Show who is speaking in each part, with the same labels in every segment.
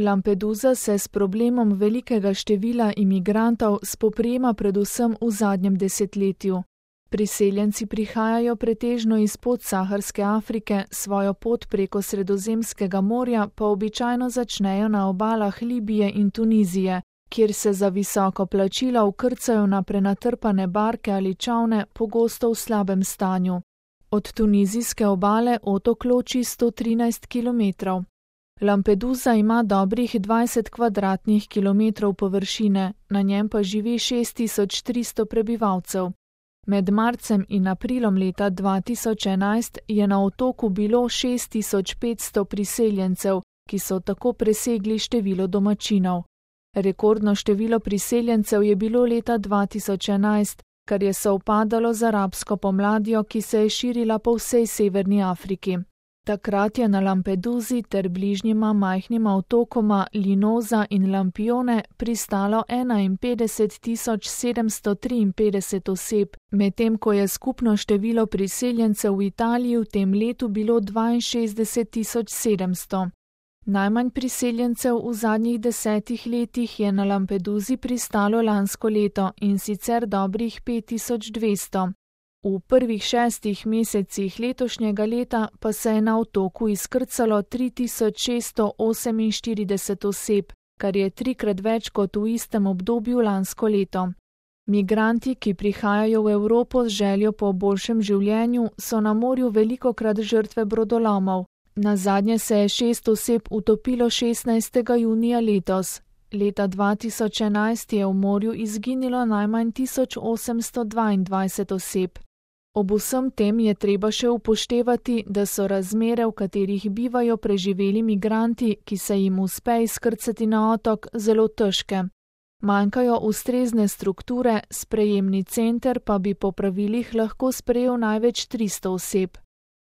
Speaker 1: Lampedusa se s problemom velikega števila imigrantov spoprijema predvsem v zadnjem desetletju. Priseljenci prihajajo pretežno iz podsaharske Afrike, svojo pot preko Sredozemskega morja pa običajno začnejo na obalah Libije in Tunizije, kjer se za visoko plačilo vkrcajo na prenatrpane barke ali čolne, pogosto v slabem stanju. Od tunizijske obale otok loči 113 kilometrov. Lampedusa ima dobrih 20 kvadratnih kilometrov površine, na njem pa živi 6300 prebivalcev. Med marcem in aprilom leta 2011 je na otoku bilo 6500 priseljencev, ki so tako presegli število domačinov. Rekordno število priseljencev je bilo leta 2011, kar je sovpadalo z arabsko pomladjo, ki se je širila po vsej severni Afriki. Takrat je na Lampedusi ter bližnjima majhnima otokoma Linosa in Lampione pristalo 51.753 oseb, medtem ko je skupno število priseljencev v Italiji v tem letu bilo 62.700. Najmanj priseljencev v zadnjih 10 letih je na Lampedusi pristalo lansko leto, in sicer dobrih 5200. V prvih 6 mesecih letošnjega leta pa se je na otoku izkrcalo 3648 oseb, kar je 3-krat več kot v istem obdobju lansko leto. Migranti, ki prihajajo v Evropo z željo po boljšem življenju, so na morju velikokrat žrtve brodolomov. Nazadnje se je 6 oseb utopilo 16. junija letos. Leta 2011 je v morju izginilo najmanj 1822 oseb. Ob vsem tem je treba še upoštevati, da so razmere, v katerih bivajo preživeli migranti, ki se jim uspe izkrcati na otok, zelo težke. Manjkajo ustrezne strukture, sprejemni center pa bi po pravilih lahko sprejel največ 300 oseb.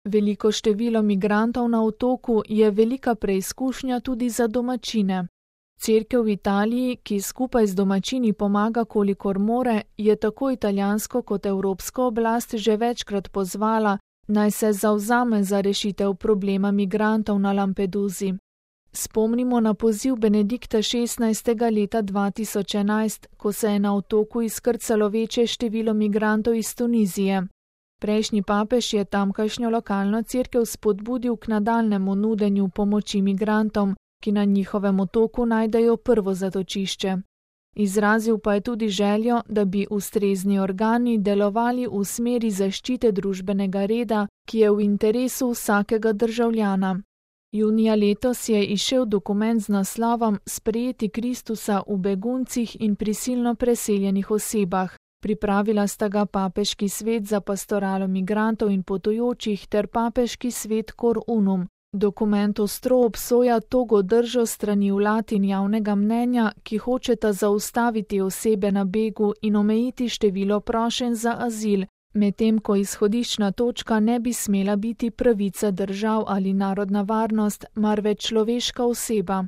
Speaker 1: Veliko število migrantov na otoku je velika preizkušnja tudi za domačine. Cerkev v Italiji, ki skupaj z domačini pomaga kolikor more, je tako italijansko kot evropsko oblast že večkrat pozvala, naj se zavzame za rešitev problema migrantov na Lampedusi. Spomnimo na poziv Benedikta XVI. Leta 2011, ko se je na otoku izkrcalo večje število migrantov iz Tunizije. Prejšnji papež je tamkajšnjo lokalno cerkev spodbudil k nadaljnjemu nudenju pomoči migrantom, ki na njihovem otoku najdejo prvo zatočišče. Izrazil pa je tudi željo, da bi ustrezni organi delovali v smeri zaščite družbenega reda, ki je v interesu vsakega državljana. Junija letos je izšel dokument z naslovom Sprejeti Kristusa v beguncih in prisilno preseljenih osebah. Pripravila sta ga Papeški svet za pastoralo migrantov in potujočih ter Papeški svet Cor Unum. Dokument ostro obsoja togo držo strani vlad in javnega mnenja, ki hočeta zaustaviti osebe na begu in omejiti število prošenj za azil, medtem ko izhodiščna točka ne bi smela biti pravica držav ali narodna varnost, marveč človeška oseba.